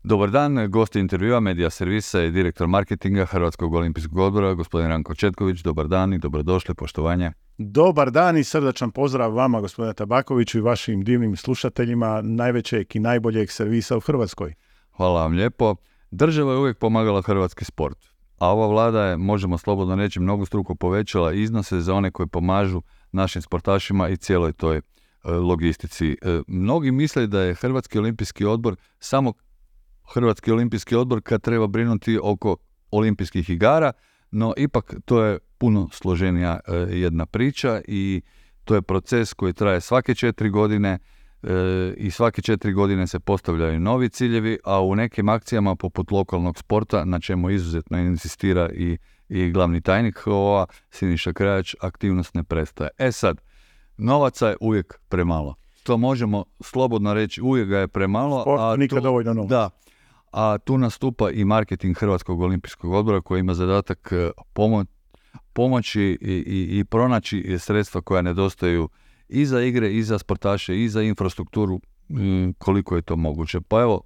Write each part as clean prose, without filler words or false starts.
Dobar dan, gost intervjua Medija servisa i direktor marketinga Hrvatskog olimpijskog odbora, gospodin Ranko Četković. Dobar dan i dobrodošli, poštovanje. Dobar dan i srdačan pozdrav vama, gospodine Tabakoviću, i vašim divnim slušateljima najvećeg i najboljeg servisa u Hrvatskoj. Hvala vam lijepo. Država je uvijek pomagala hrvatski sport, a ova vlada je, možemo slobodno reći, mnogostruko povećala iznose za one koji pomažu našim sportašima i cijeloj toj logistici. Mnogi misle da je Hrvatski olimpijski odbor samo Hrvatski olimpijski odbor kad treba brinuti oko olimpijskih igara, no ipak to je puno složenija jedna priča i to je proces koji traje svake 4 godine i svake 4 godine se postavljaju novi ciljevi, a u nekim akcijama poput lokalnog sporta, na čemu izuzetno insistira i glavni tajnik HOO-a Siniša Krajač, aktivnost ne prestaje. Sad, novaca je uvijek premalo. To možemo slobodno reći, uvijek ga je premalo. Sport nikad dovoljno novaca. Da. A tu nastupa i marketing Hrvatskog olimpijskog odbora koji ima zadatak pomoći i pronaći sredstva koja nedostaju i za igre, i za sportaše, i za infrastrukturu, koliko je to moguće. Pa evo,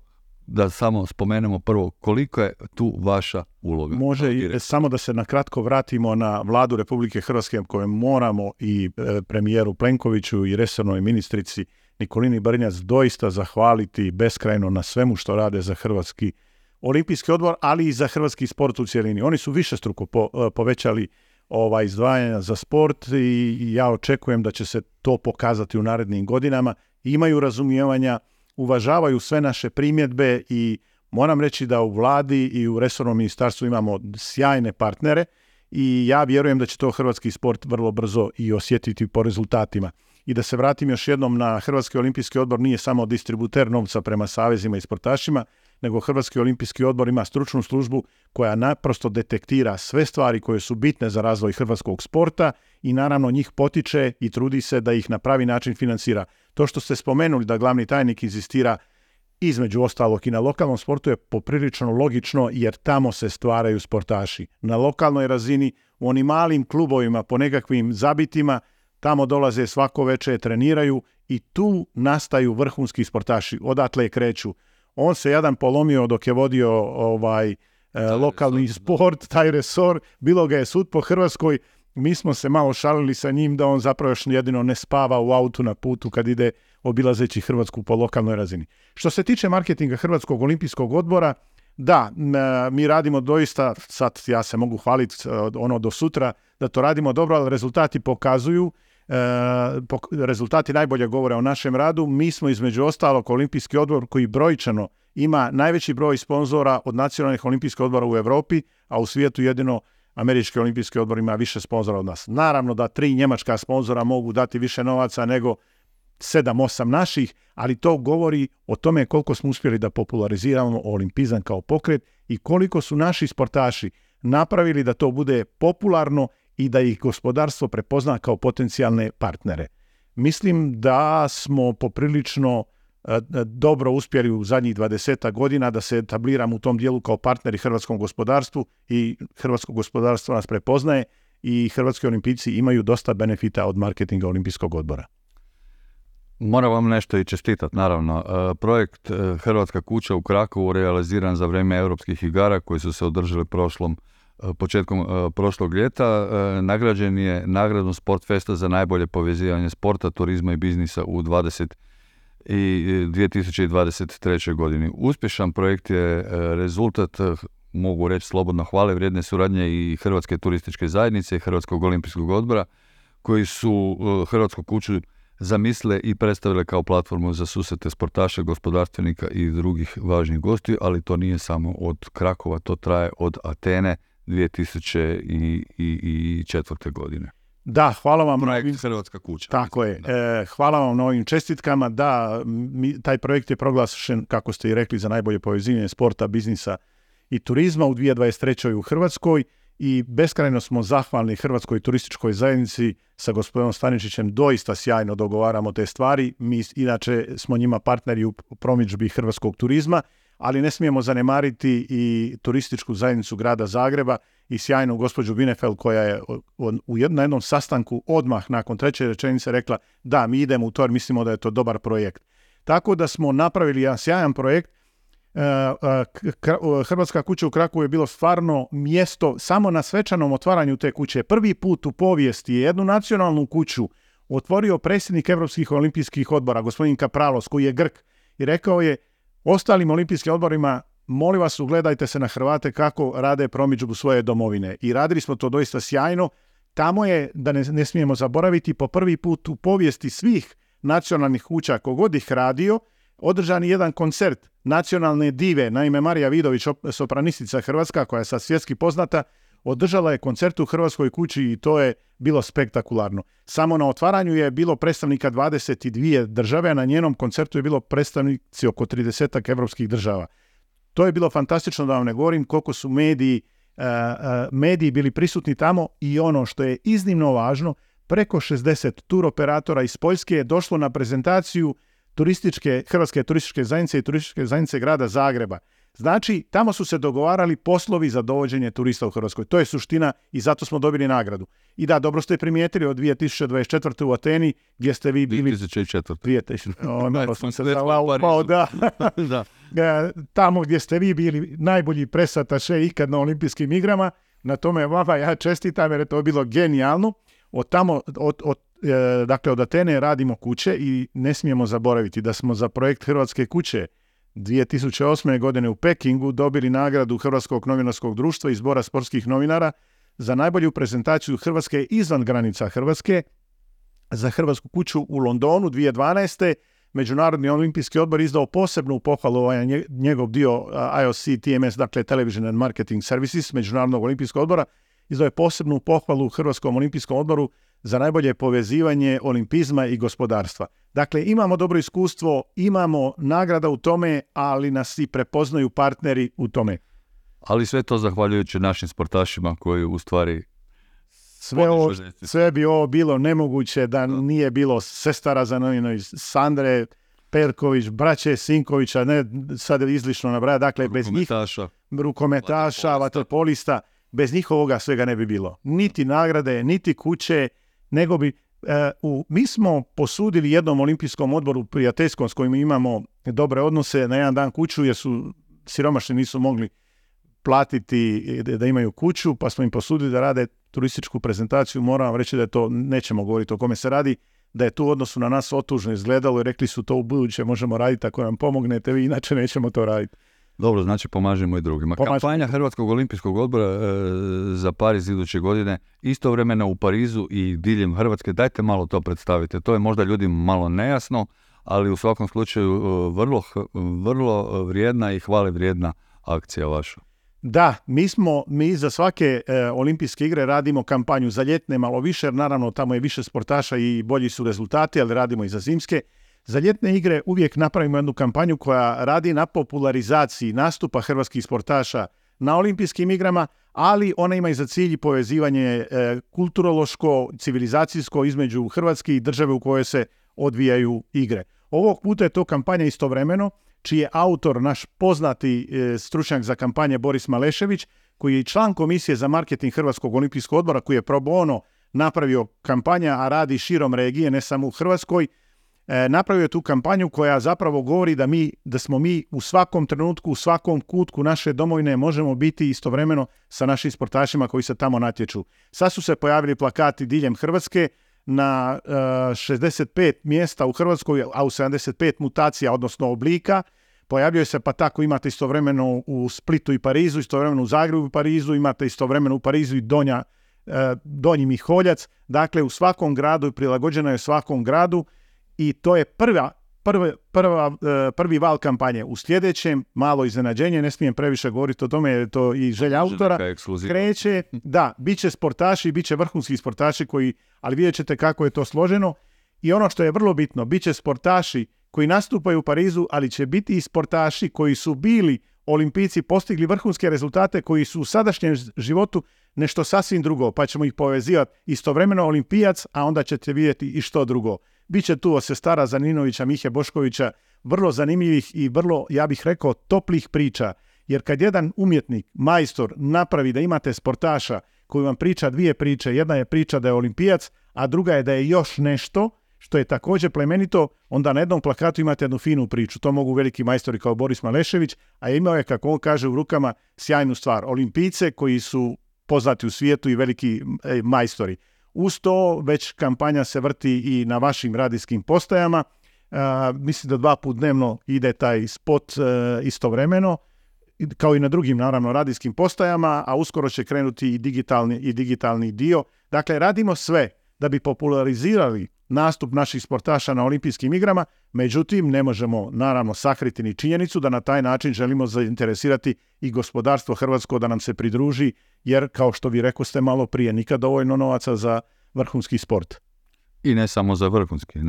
da samo spomenemo prvo, koliko je tu vaša uloga? Može samo da se na kratko vratimo na Vladu Republike Hrvatske, koju moramo i premijeru Plenkoviću i resornoj ministrici Nikolini Brnjac doista zahvaliti beskrajno na svemu što rade za Hrvatski olimpijski odbor, ali i za hrvatski sport u cjelini. Oni su višestruko povećali izdvajanja za sport i ja očekujem da će se to pokazati u narednim godinama. Imaju razumijevanja, uvažavaju sve naše primjedbe i moram reći da u vladi i u resornom ministarstvu imamo sjajne partnere i ja vjerujem da će to hrvatski sport vrlo brzo i osjetiti po rezultatima. I da se vratim još jednom na Hrvatski olimpijski odbor, nije samo distributer novca prema savezima i sportašima, nego Hrvatski olimpijski odbor ima stručnu službu koja naprosto detektira sve stvari koje su bitne za razvoj hrvatskog sporta i naravno njih potiče i trudi se da ih na pravi način financira. To što ste spomenuli da glavni tajnik inzistira između ostalog i na lokalnom sportu je poprilično logično jer tamo se stvaraju sportaši. Na lokalnoj razini, u onim malim klubovima po nekakvim zabitima, tamo dolaze svako večer, treniraju i tu nastaju vrhunski sportaši. Odatle kreću. On se jedan polomio dok je vodio lokalni sport, taj resor. Bilo ga je sud po Hrvatskoj. Mi smo se malo šalili sa njim da on zapravo još jedino ne spava u autu na putu kad ide obilazeći Hrvatsku po lokalnoj razini. Što se tiče marketinga Hrvatskog olimpijskog odbora, da, mi radimo doista, sad ja se mogu hvaliti do sutra da to radimo dobro, ali rezultati pokazuju, rezultati najbolje govore o našem radu. Mi smo između ostalog olimpijski odbor koji brojčano ima najveći broj sponzora od nacionalnih olimpijskih odbora u Europi, a u svijetu jedino Američki olimpijski odbor ima više sponzora od nas. Naravno da 3 njemačka sponzora mogu dati više novaca nego 7-8 naših, ali to govori o tome koliko smo uspjeli da populariziramo olimpizam kao pokret i koliko su naši sportaši napravili da to bude popularno i da ih gospodarstvo prepozna kao potencijalne partnere. Mislim da smo poprilično dobro uspjeli u zadnjih 20 godina da se etabliramo u tom dijelu kao partneri hrvatskom gospodarstvu i hrvatsko gospodarstvo nas prepoznaje i hrvatski olimpijci imaju dosta benefita od marketinga olimpijskog odbora. Moram vam nešto i čestitati, naravno. Projekt Hrvatska kuća u Krakovu realiziran za vrijeme europskih igara koji su se održali početkom prošlog ljeta. Nagrađen je nagradom Sportfesta za najbolje povezivanje sporta, turizma i biznisa u 2023. godini. Uspješan projekt je rezultat, mogu reći slobodno, hvale vrijedne suradnje i Hrvatske turističke zajednice i Hrvatskog olimpijskog odbora koji su Hrvatsku kuću zamislile i predstavile kao platformu za susrete sportaša, gospodarstvenika i drugih važnih gostiju, ali to nije samo od Krakova, to traje od Atene 2004. godine. Da, hvala vam. Projekt Hrvatska kuća. Tako je. Hvala vam na ovim čestitkama. Da, taj projekt je proglašen, kako ste i rekli, za najbolje povezivanje sporta, biznisa i turizma u 2023. u Hrvatskoj i beskrajno smo zahvalni Hrvatskoj turističkoj zajednici sa gospodinom Staničićem. Doista sjajno dogovaramo te stvari. Mi inače smo njima partneri u promidžbi hrvatskog turizma, ali ne smijemo zanemariti i turističku zajednicu grada Zagreba i sjajnu gospođu Binefeld koja je na jednom sastanku odmah nakon 3. rečenice rekla da, mi idemo u to jer mislimo da je to dobar projekt. Tako da smo napravili jedan sjajan projekt. Hrvatska kuća u Krakovu je bilo stvarno mjesto, samo na svečanom otvaranju te kuće. Prvi put u povijesti je jednu nacionalnu kuću otvorio predsjednik Europskih olimpijskih odbora, gospodin Kapralos, koji je Grk, i rekao je ostalim olimpijskim odborima, molim vas, ugledajte se na Hrvate kako rade promidžbu svoje domovine. I radili smo to doista sjajno. Tamo je, da ne smijemo zaboraviti, po prvi put u povijesti svih nacionalnih kuća, kogod ih radio, održan je jedan koncert nacionalne dive, naime Marija Vidović, sopranistica hrvatska, koja je sad svjetski poznata, održala je koncert u Hrvatskoj kući i to je bilo spektakularno. Samo na otvaranju je bilo predstavnika 22 države, a na njenom koncertu je bilo predstavnici oko 30 evropskih država. To je bilo fantastično, da vam ne govorim koliko su mediji bili prisutni tamo, i ono što je iznimno važno, preko 60 turoperatora iz Poljske je došlo na prezentaciju Hrvatske turističke zajednice i turističke zajednice grada Zagreba. Znači, tamo su se dogovarali poslovi za dovođenje turista u Hrvatskoj. To je suština i zato smo dobili nagradu. I da, dobro ste primijetili, od 2024. u Ateni, gdje ste vi bili... 2004. Malo sam se zalaupao, da. Tamo gdje ste vi bili najbolji presataše ikad na olimpijskim igrama. Na tome vama ja čestitam, jer je to bilo genijalno. Dakle, od Atene radimo kuće i ne smijemo zaboraviti da smo za projekt Hrvatske kuće 2008. godine u Pekingu dobili nagradu Hrvatskog novinarskog društva i Zbora sportskih novinara za najbolju prezentaciju Hrvatske izvan granica Hrvatske. Za Hrvatsku kuću u Londonu 2012. Međunarodni olimpijski odbor izdao posebnu pohvalu, njegov dio IOC TMS, dakle Television and Marketing Services, Međunarodnog olimpijskog odbora, izdao je posebnu pohvalu Hrvatskom olimpijskom odboru za najbolje povezivanje olimpizma i gospodarstva. Dakle, imamo dobro iskustvo, imamo nagrada u tome, ali nas i prepoznaju partneri u tome. Ali sve to zahvaljujući našim sportašima koji u stvari... Sve bi ovo bilo nemoguće da nije bilo sestara Zanoninović, Sandre Perković, braće Sinkovića, ne sad izlično nabraja, dakle bez njih, rukometaša, vaterpolista, bez njih ovoga svega ne bi bilo. Niti nagrade, niti kuće, nego bi... mi smo posudili jednom olimpijskom odboru prijateljskom s kojim imamo dobre odnose na jedan dan kuću, jer su siromašni, nisu mogli platiti da imaju kuću, pa smo im posudili da rade turističku prezentaciju. Moram vam reći da je to, nećemo govoriti o kome se radi, da je tu u odnosu na nas otužno izgledalo i rekli su to u buduće možemo raditi ako nam pomognete, vi inače nećemo to raditi. Dobro, znači pomažemo i drugima. Kampanja Hrvatskog olimpijskog odbora za Pariz iduće godine, istovremeno u Parizu i diljem Hrvatske. Dajte malo to predstavite. To je možda ljudima malo nejasno, ali u svakom slučaju vrlo vrijedna i hvale vrijedna akcija vaša. Da, mi za svake olimpijske igre radimo kampanju za ljetne malo više, jer naravno tamo je više sportaša i bolji su rezultati, ali radimo i za zimske. Za ljetne igre uvijek napravimo jednu kampanju koja radi na popularizaciji nastupa hrvatskih sportaša na olimpijskim igrama, ali ona ima i za cilj povezivanje kulturološko, civilizacijsko između Hrvatske i države u kojoj se odvijaju igre. Ovog puta je to kampanja istovremeno, čiji je autor naš poznati stručnjak za kampanje Boris Malešević, koji je član Komisije za marketing Hrvatskog olimpijskog odbora, koji je pro bono napravio kampanja, a radi širom regije, ne samo u Hrvatskoj. Napravio je tu kampanju koja zapravo govori da smo mi u svakom trenutku, u svakom kutku naše domovine možemo biti istovremeno sa našim sportašima koji se tamo natječu. Sad su se pojavili plakati diljem Hrvatske na 65 mjesta u Hrvatskoj, a u 75 mutacija, odnosno oblika. Pojavljuje se, pa tako imate istovremeno u Splitu i Parizu, istovremeno u Zagrebu i Parizu, imate istovremeno u Parizu i Donji Miholjac. Dakle, u svakom gradu, prilagođena je svakom gradu, i to je prvi val kampanje. U sljedećem, malo iznenađenje, ne smijem previše govoriti o tome jer je to i želja autora, kreće, da, bit će sportaši, bit će vrhunski sportaši ali vidjet ćete kako je to složeno. I ono što je vrlo bitno, bit će sportaši koji nastupaju u Parizu, ali će biti i sportaši koji su bili olimpijci, postigli vrhunske rezultate, koji su u sadašnjem životu nešto sasvim drugo, pa ćemo ih povezivati istovremeno olimpijac, a onda ćete vidjeti i što drugo. Biće tu od sestara Zaninovića, Mihe Boškovića, vrlo zanimljivih i vrlo, ja bih rekao, toplih priča. Jer kad jedan umjetnik, majstor, napravi da imate sportaša koji vam priča dvije priče, jedna je priča da je olimpijac, a druga je da je još nešto, što je također plemenito, onda na jednom plakatu imate jednu finu priču. To mogu veliki majstori kao Boris Malešević, a imao je, kako on kaže, u rukama sjajnu stvar. Olimpijce koji su poznati u svijetu i veliki majstori. Uz to već kampanja se vrti i na vašim radijskim postajama. Mislim da 2 puta dnevno ide taj spot istovremeno, kao i na drugim, naravno, radijskim postajama, a uskoro će krenuti i digitalni dio. Dakle, radimo sve da bi popularizirali nastup naših sportaša na olimpijskim igrama, međutim, ne možemo, naravno, sakriti ni činjenicu da na taj način želimo zainteresirati i gospodarstvo hrvatsko da nam se pridruži, jer, kao što vi rekoste malo prije, nikad dovoljno novaca za vrhunski sport. I ne samo za vrhunski.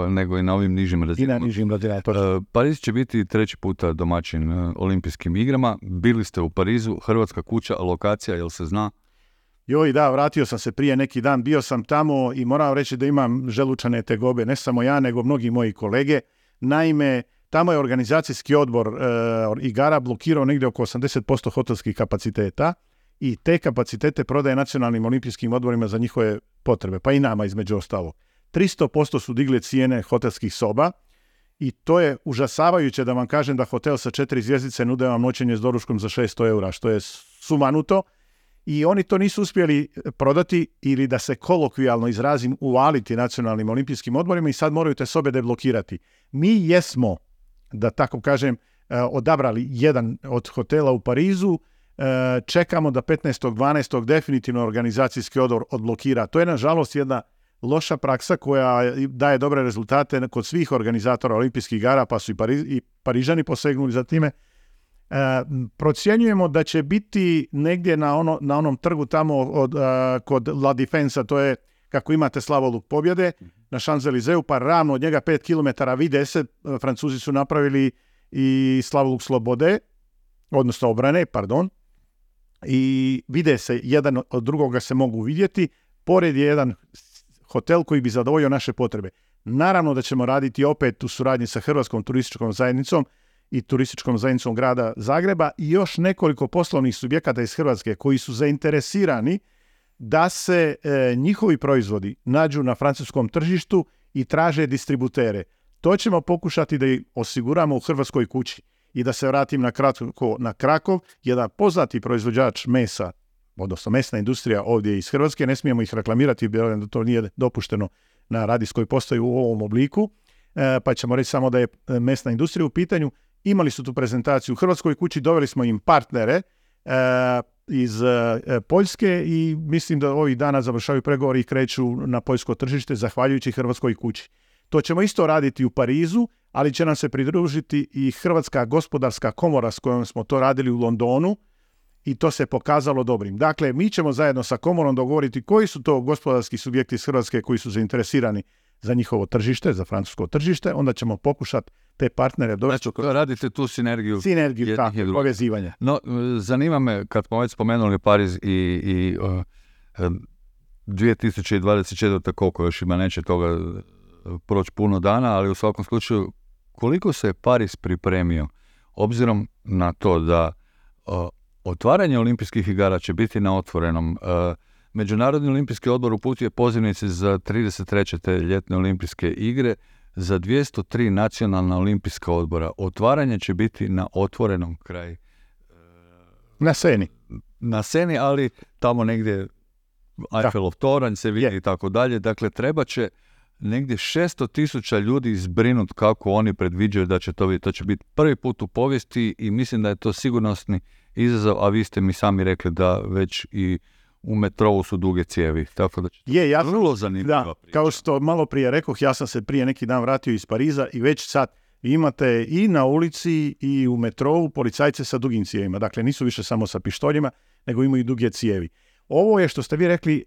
Nego i na ovim nižim razinama. I na nižim razinama. Pariz će biti 3. puta domaćin olimpijskim igrama. Bili ste u Parizu, Hrvatska kuća, lokacija, jel se zna? Joj, da, vratio sam se prije neki dan, bio sam tamo i moram reći da imam želučane tegobe, ne samo ja, nego mnogi moji kolege. Naime, tamo je organizacijski odbor igara blokirao negdje oko 80% hotelskih kapaciteta i te kapacitete prodaje nacionalnim olimpijskim odborima za njihove potrebe, pa i nama između ostalo. 300% su digli cijene hotelskih soba i to je užasavajuće da vam kažem da hotel sa 4 zvjezdice nude vam noćenje s doručkom za 600 eura, što je sumanuto. I oni to nisu uspjeli prodati ili, da se kolokvijalno izrazim, uvaliti nacionalnim olimpijskim odborima i sad moraju te sobe deblokirati. Mi jesmo, da tako kažem, odabrali jedan od hotela u Parizu, čekamo da 15.12. definitivno organizacijski odbor odblokira. To je, nažalost, jedna loša praksa koja daje dobre rezultate kod svih organizatora olimpijskih igara, pa su i Parižani posegnuli za time. Procjenjujemo da će biti negdje na onom trgu tamo kod La Defensa, to je kako imate slavoluk pobjede na Champs-Élysées, pa ravno od njega 5 km vide se, Francuzi su napravili i slavoluk slobode, odnosno obrane, i vide se, jedan od drugoga se mogu vidjeti. Pored je jedan hotel koji bi zadovoljio naše potrebe. Naravno da ćemo raditi opet u suradnji sa Hrvatskom turističkom zajednicom i turističkom zajednicom grada Zagreba i još nekoliko poslovnih subjekata iz Hrvatske koji su zainteresirani da se njihovi proizvodi nađu na francuskom tržištu i traže distributere. To ćemo pokušati da ih osiguramo u Hrvatskoj kući. I da se vratim na Krakov, jedan poznati proizvođač mesa, odnosno mesna industrija ovdje iz Hrvatske, ne smijemo ih reklamirati, da to nije dopušteno na radijskoj postaji u ovom obliku, pa ćemo reći samo da je mesna industrija u pitanju. Imali su tu prezentaciju u Hrvatskoj kući, doveli smo im partnere iz Poljske i mislim da ovih dana završavaju pregovori i kreću na poljsko tržište zahvaljujući Hrvatskoj kući. To ćemo isto raditi u Parizu, ali će nam se pridružiti i Hrvatska gospodarska komora s kojom smo to radili u Londonu i to se pokazalo dobrim. Dakle, mi ćemo zajedno sa komorom dogovoriti koji su to gospodarski subjekti iz Hrvatske koji su zainteresirani za njihovo tržište, za francusko tržište, onda ćemo pokušati te partnere dovesti. Znači, radite tu sinergiju tako, povezivanja. No, zanima me, kad smo već spomenuli Pariz i 2024. koliko još ima, neće toga proći puno dana, ali u svakom slučaju, koliko se Pariz pripremio, obzirom na to da otvaranje olimpijskih igara će biti na otvorenom. Međunarodni olimpijski odbor uputio pozivnice za 33. te ljetne olimpijske igre, za 203 nacionalna olimpijska odbora. Otvaranje će biti na otvorenom kraju. Na Seni, ali tamo negdje Eiffelov toranj se vidi i tako dalje. Dakle, treba će negdje 600,000 ljudi izbrinut kako oni predviđaju da će to biti. To će biti prvi put u povijesti i mislim da je to sigurnosni izazov, a vi ste mi sami rekli da već i u metrovu su duge cijevi. Tako da je vrlo zanimljiva priča. Kao što malo prije rekoh, ja sam se prije neki dan vratio iz Pariza i već sad imate i na ulici i u metrovu policajce sa dugim cijevima. Dakle, nisu više samo sa pištoljima, nego imaju i duge cijevi. Ovo je, što ste vi rekli,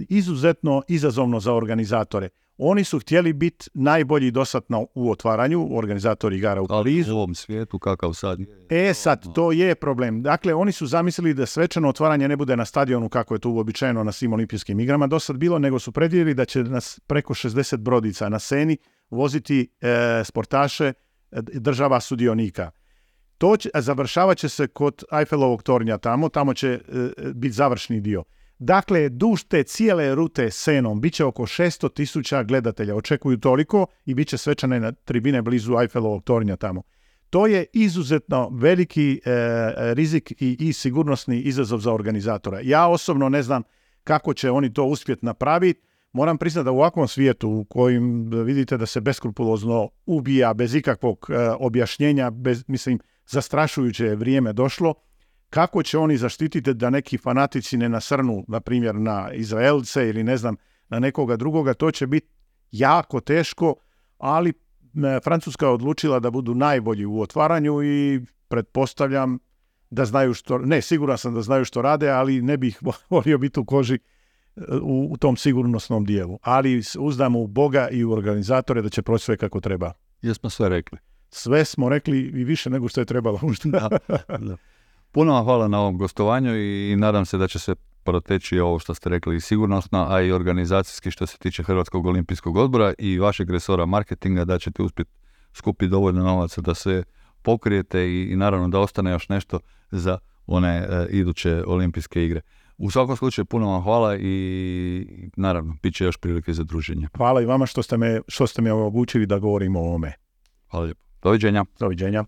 izuzetno izazovno za organizatore. Oni su htjeli biti najbolji dosadno u otvaranju, organizatori igara u Parizu. U ovom svijetu kakav sad je. Sad, to je problem. Dakle, oni su zamislili da svečano otvaranje ne bude na stadionu kako je to uobičajeno na svim olimpijskim igrama dosad bilo, nego su predvidjeli da će nas preko 60 brodica na Seni voziti sportaše država sudionika. Završavat će se kod Eiffelovog tornja tamo će biti završni dio. Dakle, duž te cijele rute Senom bit će oko 600.000 gledatelja. Očekuju toliko i bit će svečane na tribine blizu Eiffelovog tornja tamo. To je izuzetno veliki rizik i sigurnosni izazov za organizatora. Ja osobno ne znam kako će oni to uspjeti napraviti. Moram priznati da u ovakvom svijetu u kojem vidite da se beskrupulozno ubija bez ikakvog objašnjenja, zastrašujuće je vrijeme došlo, kako će oni zaštititi da neki fanatici ne nasrnu, na primjer, na Izraelce ili ne znam, na nekoga drugoga, to će biti jako teško, ali Francuska je odlučila da budu najbolji u otvaranju i pretpostavljam da znaju siguran sam da znaju što rade, ali ne bih volio biti u koži u tom sigurnosnom dijelu. Ali uzdamo u Boga i u organizatore da će proći sve kako treba. Jesmo sve rekli. Sve smo rekli i više nego što je trebalo. Da. Puno vam hvala na ovom gostovanju i nadam se da će se proteći ovo što ste rekli i sigurnosno, a i organizacijski što se tiče Hrvatskog olimpijskog odbora i vašeg resora marketinga, da ćete uspjeti skupiti dovoljno novaca da se pokrijete i naravno da ostane još nešto za one iduće olimpijske igre. U svakom slučaju puno vam hvala i naravno bit će još prilike za druženje. Hvala i vama što ste me omogućili da govorimo o ovome. Hvala lijepo. Doviđenja. Doviđenja.